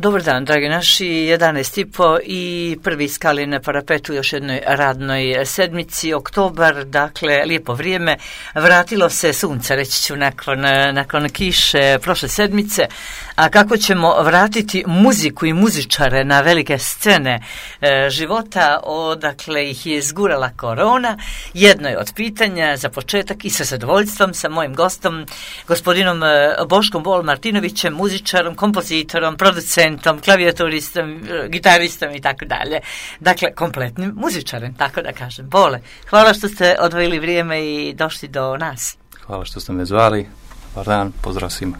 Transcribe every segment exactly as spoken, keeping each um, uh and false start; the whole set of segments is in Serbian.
Dobar dan, dragi naši, jedanaest i po i prvi skali na parapetu još jednoj radnoj sedmici, oktobar, dakle, lijepo vrijeme, vratilo se sunce, reći ću, nakon, nakon kiše prošle sedmice, a kako ćemo vratiti muziku i muzičare na velike scene e, života, odakle ih je izgurala korona, jedno je od pitanja za početak i sa zadovoljstvom sa mojim gostom, gospodinom Boškom Bol Martinovićem, muzičarom, kompozitorom, producentom, klavijaturistom, gitaristom i tako dalje. Dakle, kompletnim muzičarem, tako da kažem. Bole, hvala što ste odvojili vrijeme i došli do nas. Hvala što ste me zvali. Dobar dan, pozdrav svima.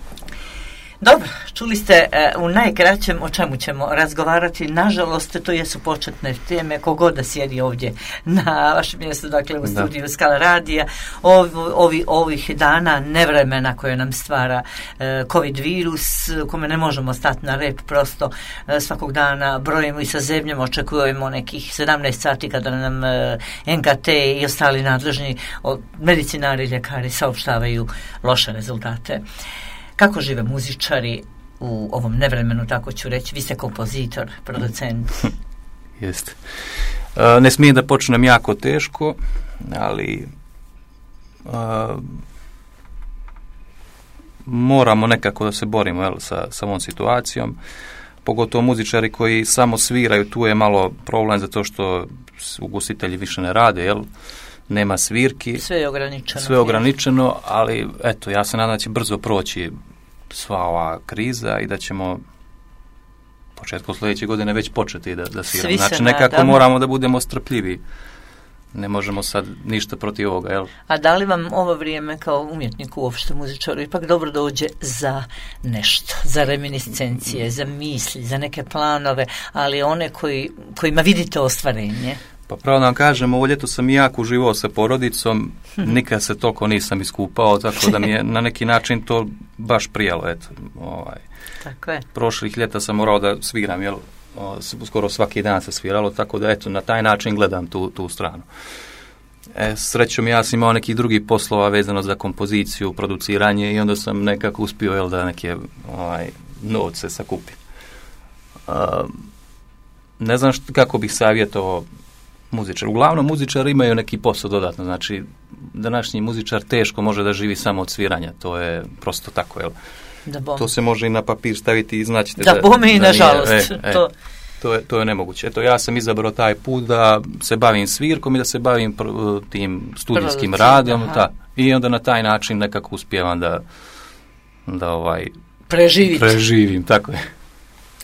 Dobro, čuli ste uh, u najkraćem o čemu ćemo razgovarati. Nažalost, to jesu početne teme, kogod da sjedi ovdje na vašem mjestu, dakle u da. studiju Skala radija. Ovi, ovi, ovih dana nevremena koje nam stvara uh, COVID virus, kome ne možemo stati na rep, prosto uh, svakog dana brojimo i sa zemljom, očekujemo nekih sedamnaest sati kada nam uh, N K T i ostali nadležni od medicinari i ljekari saopštavaju loše rezultate. Kako žive muzičari u ovom nevremenu, tako ću reći? Vi ste kompozitor, producent. Jeste. Uh, ne smijem da počnem jako teško, ali uh, moramo nekako da se borimo jel, sa, sa ovom situacijom. Pogotovo muzičari koji samo sviraju, tu je malo problem zato što ugostitelji više ne rade, jel? Nema svirki. Sve je ograničeno. Sve je ograničeno, ali eto, ja se nadam da će brzo proći sva ova kriza i da ćemo početkom sljedeće godine već početi da, da sviramo. Znači, nekako nadamo. Moramo da budemo strpljivi. Ne možemo sad ništa protiv ovoga, jel? A da li vam ovo vrijeme kao umjetniku, uopšte muzičaru, ipak dobro dođe za nešto, za reminiscencije, za misli, za neke planove, ali one koji, kojima vidite ostvarenje? Pa pravo da vam kažem, ovo ljeto sam i jako uživao sa porodicom, nikad se toliko nisam iskupao, tako da mi je na neki način to baš prijalo, eto. Ovaj. Tako je. Prošlih ljeta sam morao da sviram, jel, o, skoro svaki dan se sviralo, tako da eto, na taj način gledam tu, tu stranu. E, srećom ja sam imao nekih drugih poslova vezano za kompoziciju, produciranje i onda sam nekako uspio, jel, da neke ovaj, novce sakupim. A, ne znam što, kako bih savjetovao muzičar. Uglavnom muzičari imaju neki posao dodatno, znači današnji muzičar teško može da živi samo od sviranja, to je prosto tako, jel? To se može i na papir staviti i znaćete da... Da bome i nažalost. E, e, to... To, je, to je nemoguće. Eto, ja sam izabrao taj put da se bavim svirkom i da se bavim pr, tim studijskim radom ta, i onda na taj način nekako uspijevam da da ovaj Preživite. preživim, tako je.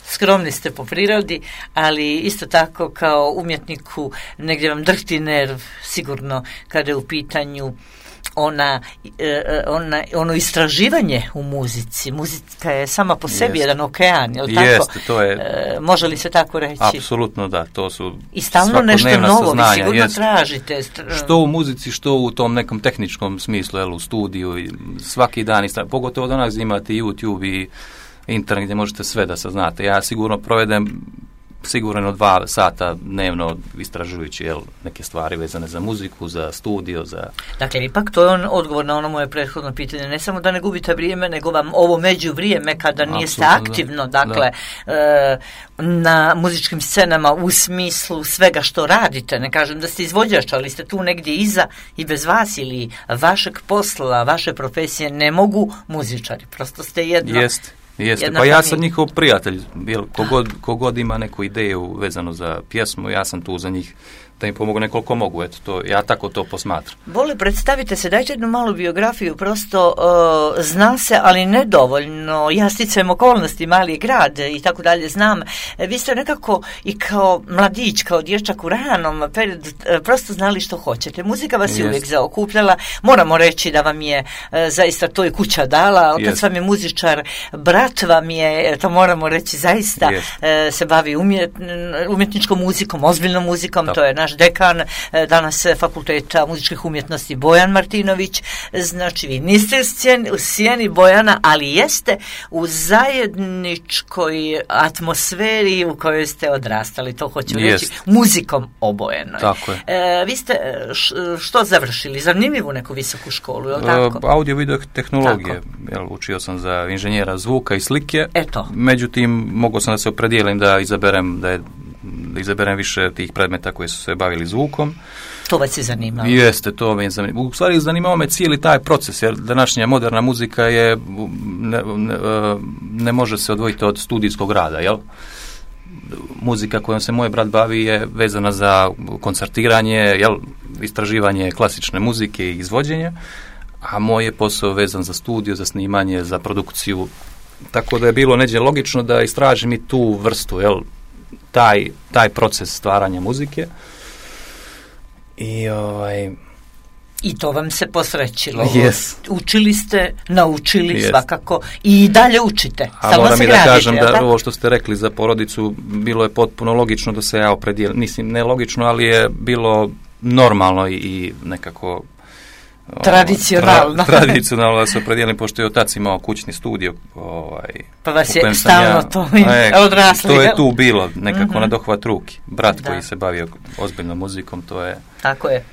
Skromni ste po prirodi, ali isto tako kao umjetniku negdje vam drhti nerv sigurno kada je u pitanju ona, ona, ono istraživanje u muzici. Muzika je sama po sebi Jest. jedan okean, je li tako? Jeste, to je... E, može li se tako reći? Apsolutno da, to su i stalno nešto novo, saznanja, vi sigurno jest. tražite. Što u muzici, što u tom nekom tehničkom smislu, jel, u studiju, i svaki dan, istra... pogotovo danas imate YouTube i internet gdje možete sve da saznate. Ja sigurno provedem sigurno dva sata dnevno istražujući jel, neke stvari vezane za muziku, za studio, za... Dakle, ipak to je on odgovor na ono moje prethodno pitanje. Ne samo da ne gubite vrijeme, nego vam ovo među vrijeme kada nijeste aktivno, da. dakle, da. E, na muzičkim scenama u smislu svega što radite. Ne kažem da ste izvođač, ali ste tu negdje iza i bez vas ili vašeg posla, vaše profesije ne mogu muzičari. Prosto ste jedno... Jeste. Jeste, pa ja sam njihov prijatelj, jel, kogod, kogod ima neku ideju vezano za pjesmu, ja sam tu za njih da im pomogu nekoliko mogu, eto, to, ja tako to posmatram. Boli, predstavite se, dajte jednu malu biografiju, prosto uh, zna se, ali nedovoljno, ja sticajem okolnosti, mali grad i tako dalje, znam, vi ste nekako i kao mladić, kao dječak u ranom periodu, prosto znali što hoćete, muzika vas je Jest. uvijek zaokupljala, moramo reći da vam je uh, zaista to i kuća dala, otac Jest. vam je muzičar, brat vam je, to moramo reći zaista, uh, se bavi umjet, umjetničkom muzikom, ozbiljnom muzikom, Tako. to je naš vaš dekan, danas Fakulteta muzičkih umjetnosti Bojan Martinović. Znači, vi niste u sjeni Bojana, ali jeste u zajedničkoj atmosferi u kojoj ste odrastali, to hoću Jest. reći, muzikom obojenoj. Tako je. E, vi ste što završili? Zanimljivu neku visoku školu, je li tako? E, audio video tehnologije. Jel, učio sam za inženjera zvuka i slike. Eto. Međutim, mogao sam da se opredijelim da izaberem, da, je, da izaberem više tih predmeta koji su se bavili zvukom. To vas je zanimalo? Jeste, to me je zanimalo. U stvari zanimao me cijeli taj proces, jer današnja moderna muzika je, ne, ne, ne može se odvojiti od studijskog rada, jel? Muzika kojom se moj brat bavi je vezana za koncertiranje, jel, istraživanje klasične muzike i izvođenje, a moj je posao vezan za studio, za snimanje, za produkciju, tako da je bilo neđe logično da istražim i tu vrstu, jel, taj, taj proces stvaranja muzike. I ovaj... I to vam se posrećilo. Yes. Učili ste, naučili yes. svakako i dalje učite. A moram i da kažem da ovo što ste rekli za porodicu, bilo je potpuno logično da se ja opredijelim. Mislim, ne logično, ali je bilo normalno i, i nekako... Tradicionalno. Tra, tradicionalno da se opredijelim, pošto je otac imao kućni studio. Ovaj, pa vas je stalno ja, to e, odrasli. To je tu bilo, nekako mm-hmm. na dohvat ruki. Brat da. koji se bavio ozbiljnom muzikom, to je... Tako je. E,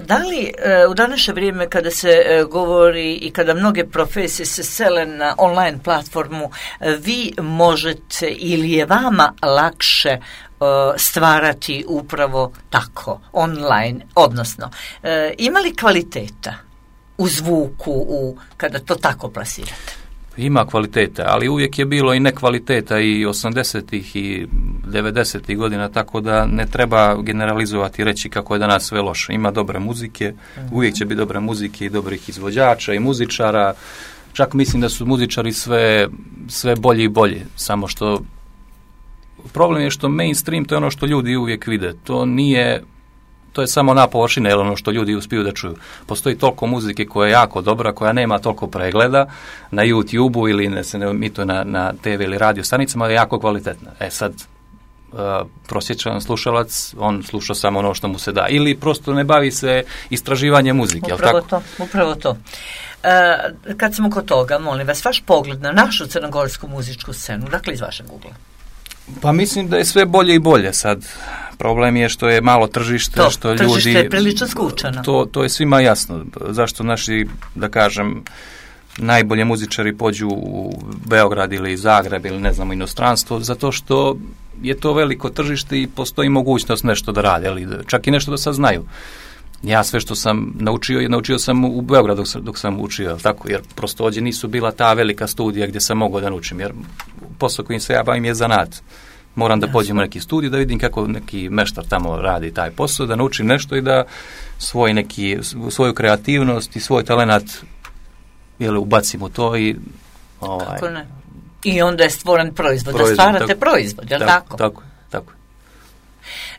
da li e, u današnje vrijeme kada se e, govori i kada mnoge profesije se sele na online platformu, e, vi možete ili je vama lakše e, stvarati upravo tako, online, odnosno e, ima li kvaliteta u zvuku u, kada to tako plasirate? Ima kvaliteta, ali uvijek je bilo i nekvaliteta i osamdesetih i devedesetih godina, tako da ne treba generalizovati i reći kako je danas sve loše. Ima dobre muzike, uh-huh. uvijek će biti dobre muzike i dobrih izvođača i muzičara. Čak mislim da su muzičari sve, sve bolji i bolji, samo što problem je što mainstream to je ono što ljudi uvijek vide. To nije... To je samo na površine, ono što ljudi uspiju da čuju. Postoji toliko muzike koja je jako dobra, koja nema toliko pregleda na YouTube-u ili ne se ne emituje na, na te ve ili radio stanicama, ali je jako kvalitetna. E sad, uh, prosječan slušalac, on sluša samo ono što mu se da. Ili prosto ne bavi se istraživanje muzike. Upravo tako? to, upravo to. Uh, kad smo kod toga, molim vas, vaš pogled na našu crnogorsku muzičku scenu, dakle iz vašeg ugla? Pa mislim da je sve bolje i bolje sad. Problem je što je malo tržište, to, što tržište ljudi... je prilično skučano. To, to je svima jasno. Zašto naši, da kažem, najbolje muzičari pođu u Beograd ili Zagreb ili ne znam, inostranstvo, zato što je to veliko tržište i postoji mogućnost nešto da rade, ali čak i nešto da sad znaju. Ja sve što sam naučio, naučio sam u Beogradu dok, dok sam učio, tako, jer prosto ovdje nisu bila ta velika studija gdje sam mogao da naučim, jer posao kojim se ja bavim je zanat. Moram da Jasno. pođem u neki studij, da vidim kako neki meštar tamo radi taj posao, da naučim nešto i da svoj neki, svoju kreativnost i svoj talenat jel, ubacim u to i... Ovaj, kako ne? I onda je stvoren proizvod, proizvod da stvarate tako, proizvod, je li tako? tako? Tako, tako.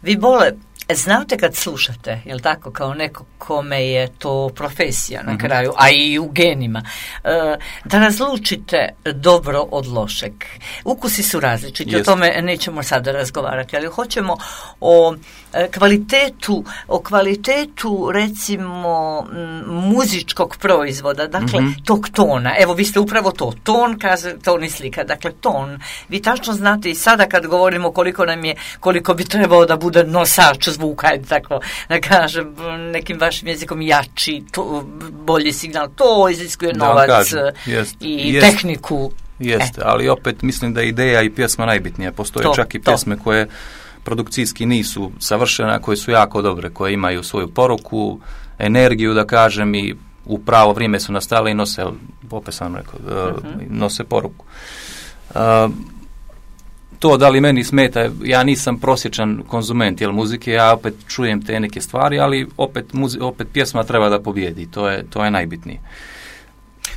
Vi bole, znate kad slušate, je li tako, kao neko kome je to profesija na kraju, a i u genima, da razlučite dobro od lošeg. Ukusi su različiti, Jest. o tome nećemo sada razgovarati, ali hoćemo o kvalitetu, o kvalitetu recimo muzičkog proizvoda, dakle mm-hmm. tog tona. Evo, vi ste upravo to, ton, kaže, ton i slika, dakle ton. Vi tačno znate i sada kad govorimo koliko nam je, koliko bi trebao da bude nosač zvuka, tako da kažem, nekim vašim jezikom jači, to, bolji signal, to iziskuje da novac jest, i jest, tehniku. Jeste, ali opet mislim da je ideja i pjesma najbitnija. Postoje to, čak i to. pjesme koje produkcijski nisu savršene, koje su jako dobre, koje imaju svoju poruku, energiju, da kažem, i u pravo vrijeme su nastale i nose, opet sam rekao, uh-huh. nose poruku. Uh, To da li meni smeta, ja nisam prosječan konzument jel, muzike, ja opet čujem te neke stvari, ali opet, muzi, opet pjesma treba da pobjedi, to je, to je najbitnije.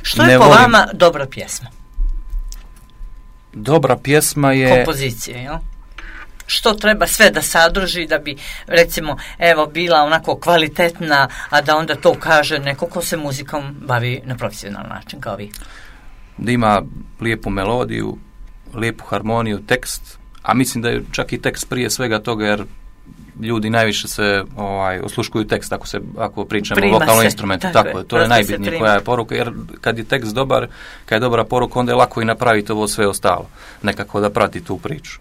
Što je ne po volim... vama dobra pjesma? Dobra pjesma je... Kompozicije, jel? Što treba sve da sadrži da bi, recimo, evo, bila onako kvalitetna, a da onda to kaže neko ko se muzikom bavi na profesionalan način, kao vi? Da ima lijepu melodiju, lijepu harmoniju, tekst, a mislim da je čak i tekst prije svega toga, jer ljudi najviše se ovaj, osluškuju tekst ako, se, ako pričamo Prima o vokalnom se, instrumentu. tako Tako je, je, to je prosto se najbitnije prima. koja je poruka, jer kad je tekst dobar, kad je dobra poruka, onda je lako i napraviti ovo sve ostalo. Nekako da prati tu priču.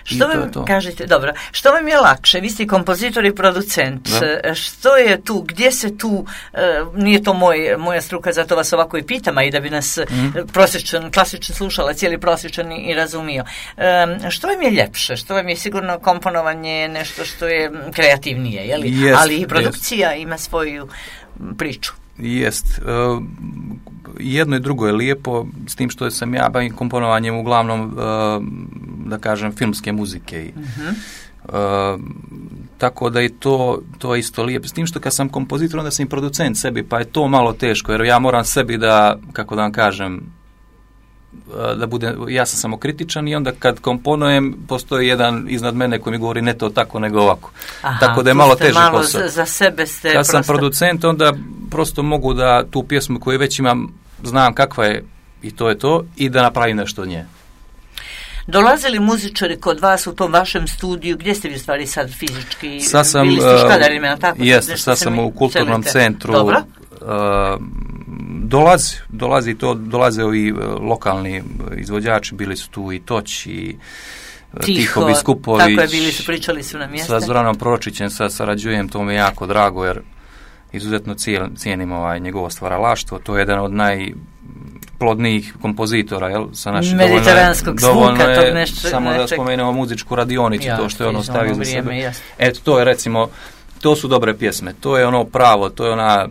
Što vam, kažete, dobro, što vam je lakše? Vi ste kompozitor i producent. Da. Što je tu, gdje se tu, e, nije to moj, moja struka, zato vas ovako i pitam, a i da bi nas mm. prosječan, klasičan slušalac, cijeli prosječan i razumio. E, što vam je ljepše? Što vam je sigurno komponovanje nešto što je kreativnije, je li? Jest, ali i produkcija jest. Ima svoju priču. Jest. Uh, jedno i drugo je lijepo, s tim što sam ja bavim komponovanjem uglavnom, uh, da kažem, filmske muzike. Uh-huh. Uh, tako da je to, to je isto lijepo. S tim što kad sam kompozitor, onda sam i producent sebi, pa je to malo teško, jer ja moram sebi da, kako da vam kažem, da bude, ja sam samokritičan i onda kad komponujem postoji jedan iznad mene koji mi govori ne to tako nego ovako. Aha, tako da je malo teži malo posao. Za, za sebe ste kad prosto... sam producent onda prosto mogu da tu pjesmu koju već imam znam kakva je i to je to i da napravim nešto od nje. Dolazili muzičari kod vas u tom vašem studiju, gdje ste vi stvari sad fizički? Sad sam, bili ste u Škadarima, ali tako? Jeste, sad sam u kulturnom celite. centru. Dobro. Uh, dolazi, dolazi to, dolaze ovi lokalni izvođači, bili su tu i Toć i Tiho, Tiho Biskupović. Tako je, bili su, pričali su na mjeste. Sa Zoranom Proročićem sad sarađujem, to mi je jako drago, jer izuzetno cijenim ovaj njegovo stvaralaštvo, to je jedan od najplodnijih kompozitora, jel, sa našim mediteranskog zvuka, tog nešto. Samo nečeg. Da spomenemo muzičku radionicu, ja, to što je ono stavio za sebe. Jasno. Eto, to je recimo, to su dobre pjesme, to je ono pravo, to je ona,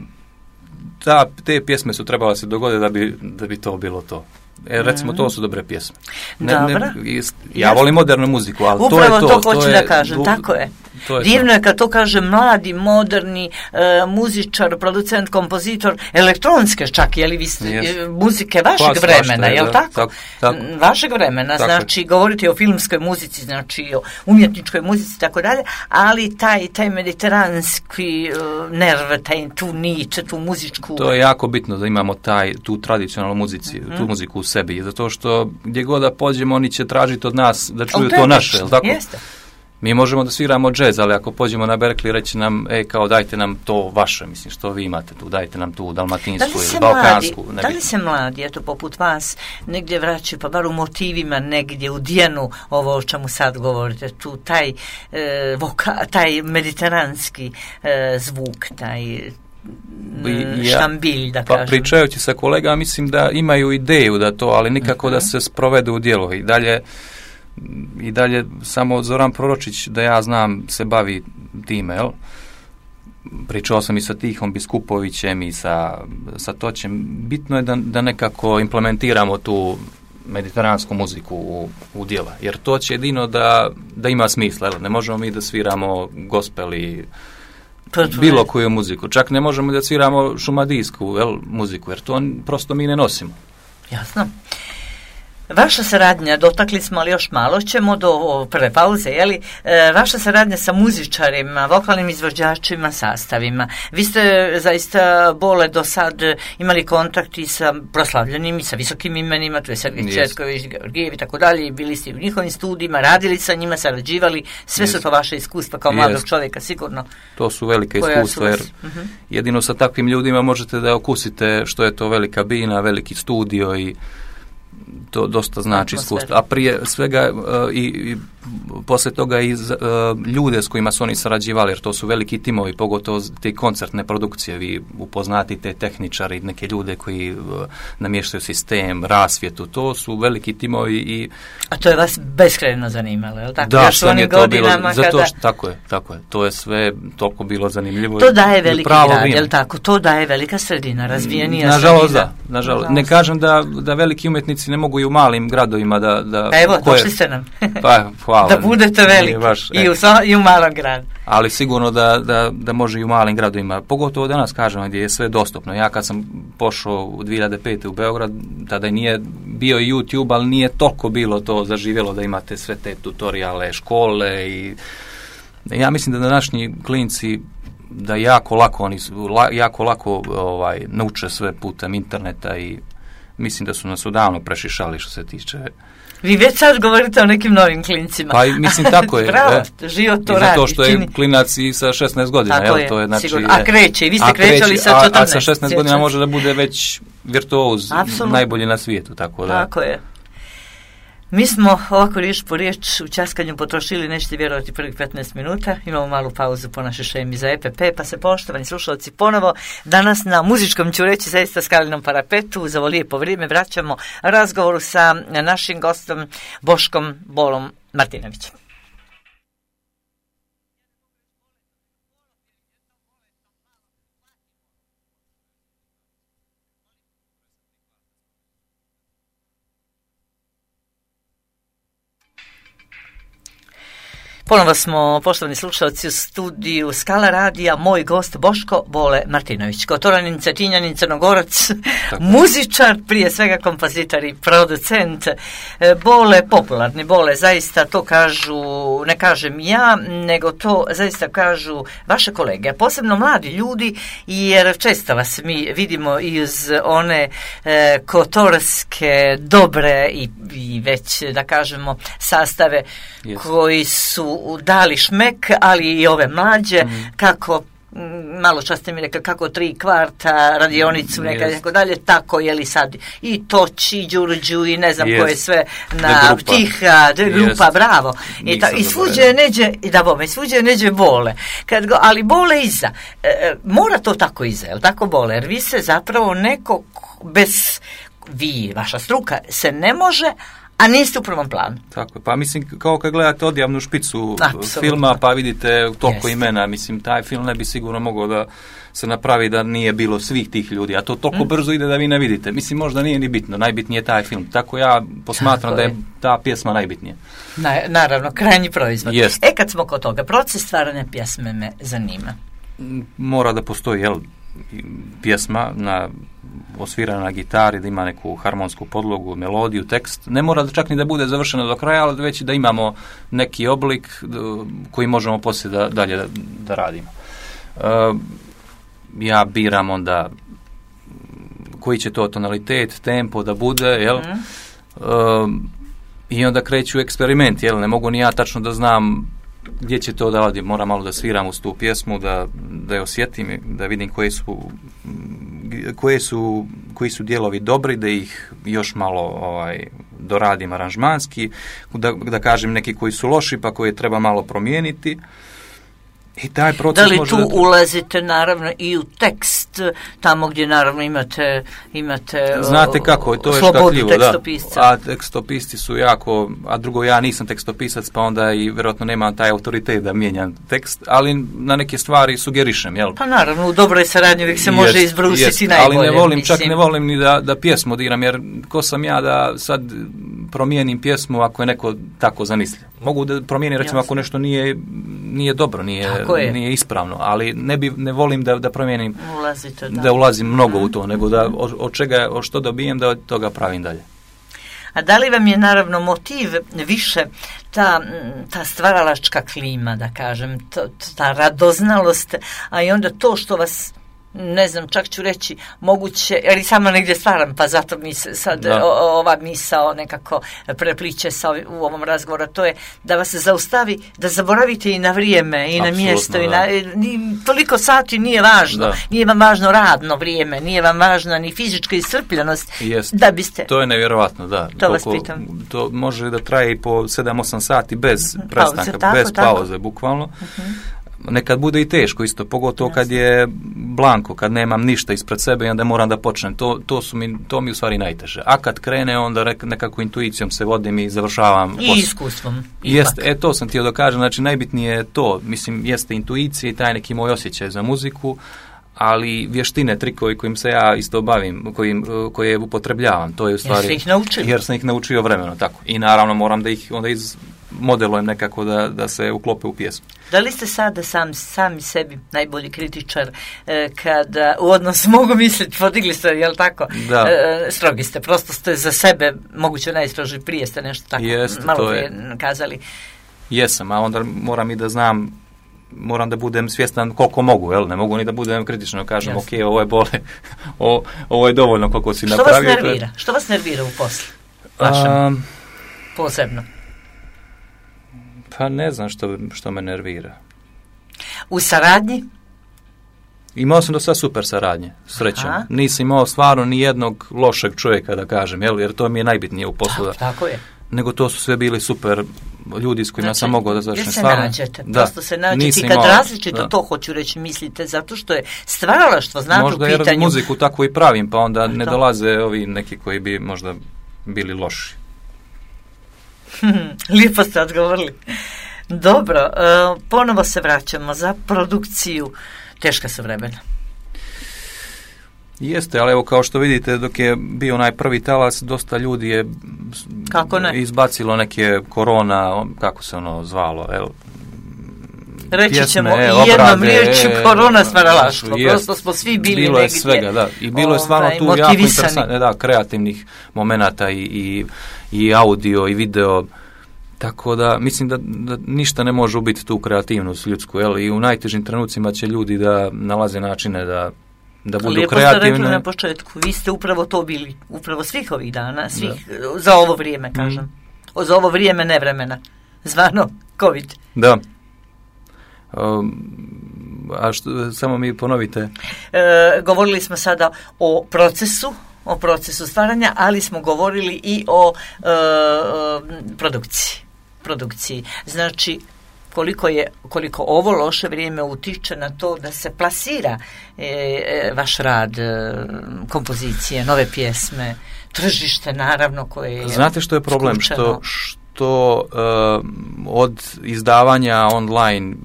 ta, te pjesme su trebale se dogoditi da bi, da bi to bilo to. E, recimo, to su dobre pjesme. Ne, ne, ja volim modernu muziku, ali upravo to je to. Upravo to hoću to da je, kažem, du, tako je. je Divno to. je kad to kaže mladi, moderni e, muzičar, producent, kompozitor, elektronske čak, je li vi ste, yes. muzike vašeg Pas, vremena, je li tako? tako, tako? Vašeg vremena, tako. Znači, govorite o filmskoj muzici, znači o umjetničkoj muzici, tako dalje, ali taj, taj mediteranski uh, nerv, taj, tu niče, tu muzičku... To je jako bitno da imamo taj, tu tradicionalnu muzici, mm-hmm. tu muziku u sebi, zato što gdje god da pođemo, oni će tražiti od nas da čuju to naše, je li tako? Jeste. Mi možemo da sviramo džez, ali ako pođemo na Berkeley, reći nam, e, kao dajte nam to vaše, mislim, što vi imate tu, dajte nam tu dalmatinsku ili balkansku. Da li se mladi, eto, poput vas, negdje vraćaju, pa bar u motivima, negdje u dijenu, ovo o čemu sad govorite, tu taj, e, voka, taj mediteranski e, zvuk, taj ja, štambilj, da pa kažem. Pa pričajući sa kolegama, mislim da imaju ideju da to, ali nikako uh-huh. da se sprovede u djelo. I dalje i dalje samo Zoran Proročić, da ja znam, se bavi time, jel? Pričao sam i sa Tihom Biskupovićem i sa, sa Toćem. Bitno je da, da nekako implementiramo tu mediteransku muziku u, u djela, jer to će jedino da, da ima smisla, jel? Ne možemo mi da sviramo gospel i bilo koju muziku, čak ne možemo da sviramo šumadijsku, jel, muziku, jer to prosto mi ne nosimo. Jasno. Vaša saradnja, dotakli smo, ali još malo ćemo do prve pauze, jeli? E, vaša saradnja sa muzičarima, vokalnim izvođačima, sastavima. Vi ste zaista, Bole, do sad imali kontakt i sa proslavljenim i sa visokim imenima, tu je Sergej yes. Četković, Georgijev i tako dalje, bili ste u njihovim studijima, radili sa njima, sarađivali, sve yes. su to vaše iskustva kao yes. mladog čovjeka, sigurno. To su velika iskustva, jer uh-huh. jedino sa takvim ljudima možete da okusite što je to velika bina, veliki studio i to dosta znači iskustvo. A prije svega uh, i, i poslije toga i uh, ljude s kojima su oni sarađivali, jer to su veliki timovi, pogotovo te koncertne produkcije. Vi upoznatite tehničari, neke ljude koji uh, namještaju sistem, rasvjetu. To su veliki timovi i... A to je vas beskrajno zanimalo, je li tako? Da, sve mi je to bilo, zato kada... što, tako je, tako je. To je sve toliko bilo zanimljivo. To daje veliki grad, je li tako? To daje velika sredina, razvijenija nažalost, sredina. Da, nažalost, da. Ne kažem da, da veliki umjetnici ne mogu i u malim gradovima da... da Evo, koje, došli ste nam. Pa, hvala. Da budete veliki baš, i, u, i u malom gradu. Ali sigurno da, da, da može i u malim gradovima. Pogotovo danas, kažem, gdje je sve dostupno. Ja kad sam pošao u dvije hiljade pete u Beograd, tada nije bio i YouTube, ali nije toliko bilo to zaživjelo da imate sve te tutoriale, škole i... Ja mislim da današnji klinci da jako lako oni su, la, jako lako ovaj, nauče sve putem interneta i mislim da su nas odavno prešišali što se tiče... Vi već sad govorite o nekim novim klincima. Pa mislim tako je. Bravo, e, život to radi. Zato što je čini. Klinac i sa šesnaest godina. Tako jel, je, to je, znači, sigurno. A kreće, i vi ste krećali sa četrnaest. A, a sa šesnaest godina može da bude već virtuoz, Absolutno. najbolji na svijetu. Tako, da. tako je. Mi smo ovako riječ po riječ u časkanju potrošili, nećete vjerovati, prvih petnaest minuta. Imamo malu pauzu po našoj šemi za E P P, pa se, poštovani slušalci, ponovo danas na muzičkom, ću reći, zaista skalinom parapetu, za ovo lijepo vrijeme vraćamo razgovoru sa našim gostom Boškom Bolom Martinovićem. Ponovo smo, poštovani slušalci, u studiju Skala radija, moj gost Boško Bole Martinović, kotoranin, cetinjanin, crnogorac, muzičar, prije svega kompozitor i producent. Bole, popularni Bole, zaista to kažu, ne kažem ja, nego to zaista kažu vaše kolege, posebno mladi ljudi, jer često vas mi vidimo i uz one e, kotorske, dobre i, i već, da kažemo, sastave yes. koji su dali šmek, ali i ove mlađe, mm. kako, malo čas ste mi rekli, kako tri kvarta, radionicu, neka yes. tako dalje, tako je li sad i Toči, Đurđu i ne znam yes. koje sve na Tiha, de grupa, yes. bravo. I, ta, i svuđe neđe, i da bome, svuđe neđe Bole. Kad go, ali Bole iza. E, mora to tako iza, jel tako Bole? Jer vi se zapravo neko bez, vi, vaša struka, se ne može, a niste u prvom planu. Tako je, pa mislim, kao kad gledate Odjavnu špicu Absolutno. filma, pa vidite toliko yes. imena, mislim, taj film ne bi sigurno mogao da se napravi da nije bilo svih tih ljudi, a to toliko mm. brzo ide da vi ne vidite. Mislim, možda nije ni bitno, najbitnije je taj film. Tako ja posmatram Tako da je, je ta pjesma najbitnija. Na, naravno, krajnji proizvod. Yes. E, kad smo kod toga, proces stvaranja pjesme me zanima. Mora da postoji, jel, pjesma na osvirana na gitari, da ima neku harmonsku podlogu, melodiju, tekst. Ne mora da čak ni da bude završeno do kraja, ali već da imamo neki oblik koji možemo poslije da, dalje da, da radimo. Uh, ja biram onda koji će to tonalitet, tempo da bude, jel? Mm. Uh, I onda kreću eksperiment, jel? Ne mogu ni ja tačno da znam gdje će to da odi. Moram malo da sviram uz tu pjesmu, da, da je osjetim, da vidim koje su koje su, koji su dijelovi dobri, da ih još malo ovaj, doradim aranžmanski, da, da kažem neki koji su loši, pa koje treba malo promijeniti. I taj proces da li može tu da... ulazite naravno i u tekst, tamo gdje naravno imate, imate Znate kako, to je slobodu tekstopisca. Da. A tekstopisci su jako, a drugo ja nisam tekstopisac, pa onda i vjerojatno nemam taj autoritet da mijenjam tekst, ali na neke stvari sugerišem, jel? Pa naravno, u dobroj saradnji uvijek se jest, može izbrusiti jest, najbolje. Ali ne volim, mislim. čak ne volim ni da, da pjesmu diram, jer ko sam ja da sad promijenim pjesmu ako je neko tako zamislio. Mogu da promijenim, recimo, Jasne. ako nešto nije, nije dobro, nije, nije ispravno, ali ne, bi, ne volim da, da promijenim, Ulazite, da. da ulazim mnogo mm. u to, nego da od, od čega, od što dobijem, da od toga pravim dalje. A da li vam je naravno motiv više ta, ta stvaralačka klima, da kažem, to, ta radoznalost, a i onda to što vas, ne znam, čak ću reći moguće, jer i sama negdje stvaram, pa zato mi se sad o, ova misao nekako prepliče sa ovi, u ovom razgovoru, to je da vas zaustavi, da zaboravite i na vrijeme, i na Absolutno, mjesto, i na, ni, toliko sati nije važno, da. Nije vam važno radno vrijeme, nije vam važna ni fizička iscrpljenost, Jest. da biste... To je nevjerovatno, da. To Toliko, vas pitam. To može da traje i po sedam osam sati bez uh-huh. prestanka, pauze, bez tako, pauze, tako. bukvalno. Uh-huh. Nekad bude i teško isto, pogotovo Jasne. kad je blanko, kad nemam ništa ispred sebe i onda moram da počnem. To, to, su mi, to mi u stvari najteže. A kad krene, onda nekako intuicijom se vodim i završavam. I posl. iskustvom. Jeste, e, to sam htio da kažem, znači najbitnije je to, mislim, jeste intuicija i taj neki moj osjećaj za muziku, ali vještine, trikovi kojim se ja isto bavim, kojim, koje upotrebljavam, to je u stvari... Jer sam ih naučio. Jer sam ih naučio vremeno, tako. I naravno moram da ih onda iz modelujem nekako da, da se uklope u pjesmu. Da li ste sada sam, sami sebi najbolji kritičar eh, kada u odnosu mogu misliti, podigli ste, jel tako? Da. Eh, strogi ste, prosto ste za sebe moguće najstroži, prije ste nešto tako Jest, malo to prije je. kazali. Jesam, a onda moram i da znam moram da budem svjestan koliko mogu, jel? Ne mogu ni da budem kritično, kažem, Jasne. ok, ovo je bole, o, ovo je dovoljno koliko si Što napravio. vas nervira? Što vas nervira u poslu? Vašem? Um, Posebno. pa ne znam što, što me nervira. U saradnji? Imao sam do sad super saradnje, srećom. Aha. Nisam imao stvarno ni jednog lošeg čovjeka, da kažem, jel? Jer to mi je najbitnije u poslu. Tako, tako je. Nego to su sve bili super ljudi s kojima Znači, sam mogao da završim. Vi se stvarno. nađete, Da. prosto se nađete Nisam i kad imao- različito da. to hoću reći mislite, zato što je stvaralaštvo, znate, Možda u jer pitanju. muziku tako i pravim, pa onda ne Da. dolaze ovi neki koji bi možda bili loši. Lijepo ste odgovorili. Dobro, e, ponovo se vraćamo za produkciju. Teška su vremena. Jeste, ali evo kao što vidite, dok je bio onaj prvi talas, dosta ljudi je Kako ne? izbacilo neke korona, kako se ono zvalo, evo, Reći pjesme, ćemo e, jednom obrade, riječju e, korona stvaralaštvo. jest. Prosto smo svi bili bilo je negdje. svega, da. I bilo je stvarno ovaj, tu jako motivisani. interesantno, da, kreativnih momenata i, i, i audio i video. Tako da, mislim da, da ništa ne može ubiti tu kreativnost ljudsku, jel? I u najtežim trenucima će ljudi da nalaze načine da, da budu Lijepo kreativni. ste rekli na početku, vi ste upravo to bili, upravo svih ovih dana, svih, za ovo vrijeme, kažem. Mm. Za ovo vrijeme nevremena, zvano COVID. Da. Um, a što, samo mi ponovite. E, govorili smo sada o procesu, o procesu stvaranja, ali smo govorili i o e, e, produkciji. produkciji. Znači, koliko je koliko ovo loše vrijeme utiče na to da se plasira e, e, vaš rad, e, kompozicije, nove pjesme, tržište naravno koje je Znate što je problem? skučeno. Što, što uh, od izdavanja online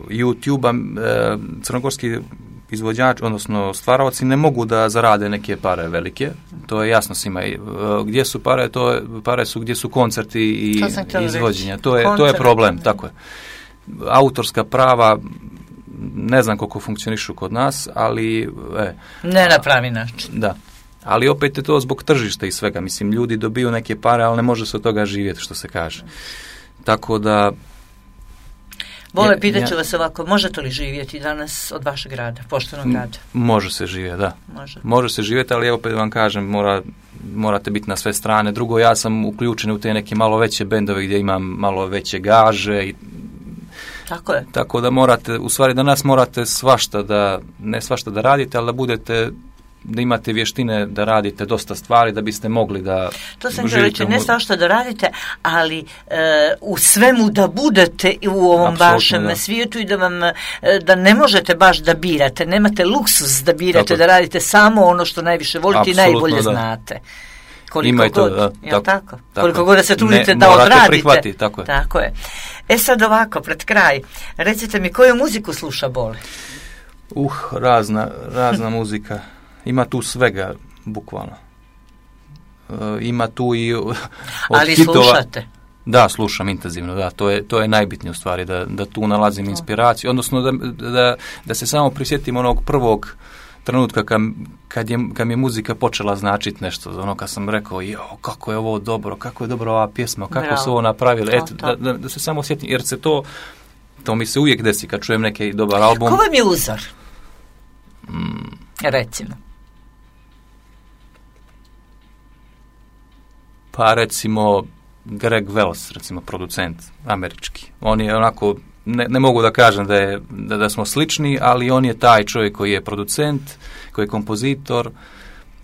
YouTube-a uh, crnogorski izvođač, odnosno stvaraoci ne mogu da zarade neke pare velike, to je jasno svima. Uh, gdje su pare, to je, pare su gdje su koncerti i izvođenja. To je, to je problem, tako je. Autorska prava ne znam koliko funkcionišu kod nas, ali e, ne na pravi način. Da. Ali opet je to zbog tržišta i svega. Mislim, ljudi dobiju neke pare, ali ne može se od toga živjeti, što se kaže. Tako da... Vole, pitat ću vas ovako, možete li živjeti danas od vašeg rada, poštenog rada? Može se živjeti, da. Može. Može se živjeti, ali opet vam kažem, mora, morate biti na sve strane. Drugo, ja sam uključen u te neke malo veće bendove gdje imam malo veće gaže i tako je. Tako da morate, u stvari danas morate svašta da, ne svašta da radite, ali da budete, da imate vještine da radite dosta stvari da biste mogli da to sam htjela reći, ne svašta da radite, ali e, u svemu da budete u ovom Apsolutno, vašem da. svijetu i da vam, e, da ne možete baš da birate, nemate luksus da birate, tako, da radite samo ono što najviše volite i najbolje da. znate. Koliko Ima i to, god, da, jel tako, tako? tako. Koliko god da se trudite ne, da morate odradite. Prihvatiti, tako je. Tako je. E sad ovako, pred kraj, recite mi koju muziku sluša Bole? Uh, razna, razna muzika. Ima tu svega, bukvalno. Uh, ima tu i od ali hitova. Slušate? Da, slušam intenzivno, da, to je, to je najbitnije u stvari, da, da tu nalazim inspiraciju, odnosno da, da, da se samo prisjetim onog prvog trenutka kad, kad, je, kad mi je muzika počela značiti nešto, ono kad sam rekao, jo, kako je ovo dobro, kako je dobra ova pjesma, kako Bravo. su ovo napravili, eto, to. da, da, da se samo sjetim, jer se to, to mi se uvijek desi kad čujem neki dobar album. Ko vam je uzor? Mm. Recimo. Pa recimo Greg Wells, recimo producent američki. On je onako, ne, ne mogu da kažem da, je, da, da smo slični, ali on je taj čovjek koji je producent, koji je kompozitor,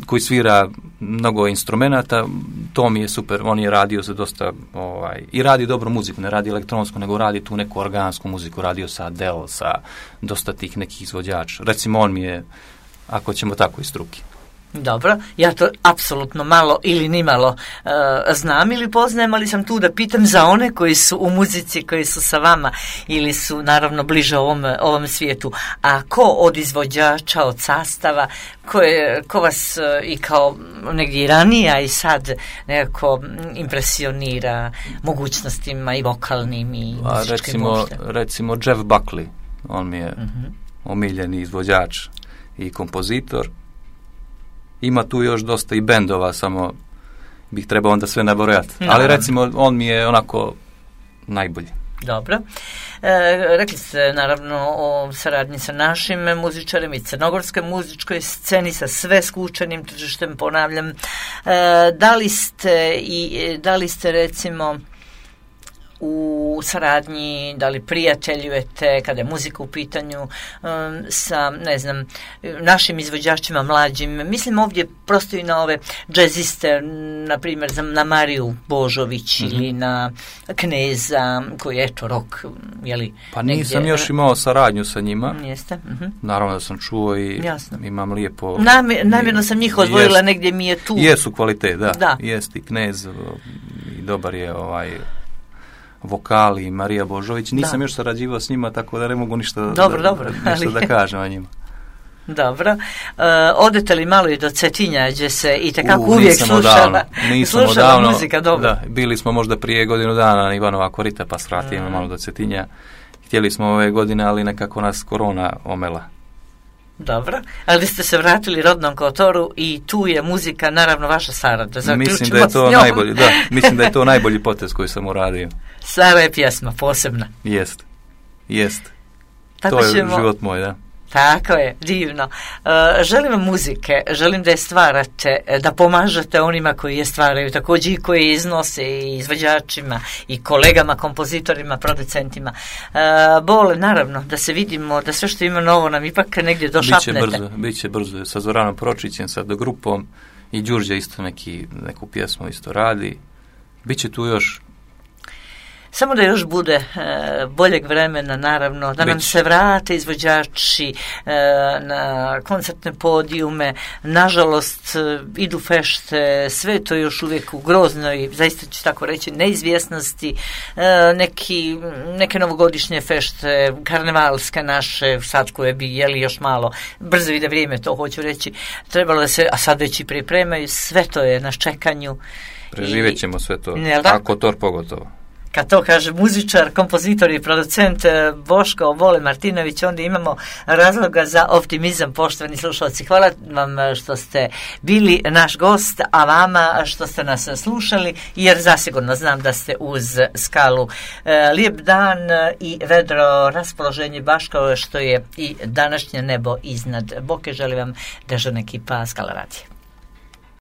koji svira mnogo instrumenata, to mi je super. On je radio za dosta, ovaj, i radi dobru muziku, ne radi elektronsku, nego radi tu neku organsku muziku, radio sa Adele, sa dosta tih nekih izvođača. Recimo on mi je, ako ćemo tako, iz struke. Dobro, ja to apsolutno malo ili nimalo uh, znam ili poznajem, ali sam tu da pitam za one koji su u muzici, koji su sa vama ili su naravno bliže ovom, ovom svijetu. A ko od izvođača, od sastava, ko, je, ko vas uh, i kao negdje i ranije, a i sad nekako impresionira mogućnostima i vokalnim i A muzičkim recimo, uopšte? recimo Jeff Buckley, on mi je Uh-huh. omiljeni izvođač i kompozitor. Ima tu još dosta i bendova, samo bih trebao onda sve nabrojati. Naravno. Ali recimo on mi je onako najbolji. Dobro. E, rekli ste naravno o saradnji sa našim muzičarima i crnogorskoj muzičkoj sceni, sa sve skučenim tržištem, ponavljam. E, da li ste i da li ste recimo u saradnji, da li prijateljujete kada je muzika u pitanju um, sa, ne znam, našim izvođačima mlađim, mislim ovdje prosto i na ove džeziste, na primjer na Mariju Božović mm-hmm. ili na Kneza koji je eto rock, jeli? Pa nisam negdje još imao saradnju sa njima. Jeste? Mm-hmm. Naravno da sam čuo i Jasno. imam lijepo... Namjer, namjerno sam njih odvojila, jest, negdje mi je tu... Jesu kvalitet, da. da. Jest i Knez i dobar je ovaj... vokali i Marija Božović. Nisam da. još sarađivao s njima, tako da ne mogu ništa, dobro, da, dobro, ništa da kažem o njima. Dobro. Uh, odete li malo i do Cetinja, gdje se i tekako uh, uvijek slušala, nisam slušala odavno, muzika? Dobro. Da, bili smo možda prije godinu dana na Ivanova korita, pa svratimo mm. malo do Cetinja. Htjeli smo ove godine, ali nekako nas korona omela. Dobro, ali ste se vratili rodnom Kotoru i tu je muzika, naravno, vaša Sara. Mislim da je to najbolji, da, mislim da je to najbolji potez koji sam uradio. Sara je pjesma posebna. Jest, jest. Tako to je ćemo... život moj, da. Tako je, divno. Uh, želim vam muzike, želim da je stvarate, da pomažete onima koji je stvaraju, također i koji iznose i izvođačima i kolegama, kompozitorima, producentima. Uh, Bole, naravno, da se vidimo, da sve što ima novo nam ipak negdje došapnete. Biće brzo, biće brzo. Sa Zoranom Pročićem, sa grupom i Đurđe isto neki, neku pjesmu isto radi. Biće tu još... Samo da još bude e, boljeg vremena, naravno, da nam se vrate izvođači e, na koncertne podijume. Nažalost, e, idu fešte, sve to još uvijek u groznoj, zaista ću tako reći, neizvjesnosti. E, neki, neke novogodišnje fešte, karnevalske naše, sad koje bi jeli još malo, brzo ide vrijeme, to hoću reći, trebalo da se, a sad već i pripremaju, sve to je na čekanju. Preživjet ćemo sve to, ako to pogotovo. Kad to kaže muzičar, kompozitor i producent Boško Bole Martinović, onda imamo razloga za optimizam, poštovani slušalci. Hvala vam što ste bili naš gost, a vama što ste nas slušali, jer zasigurno znam da ste uz skalu. Lijep dan i vedro raspoloženje, baš kao što je i današnje nebo iznad Boke. Želim vam dežurna ekipa Skala radija.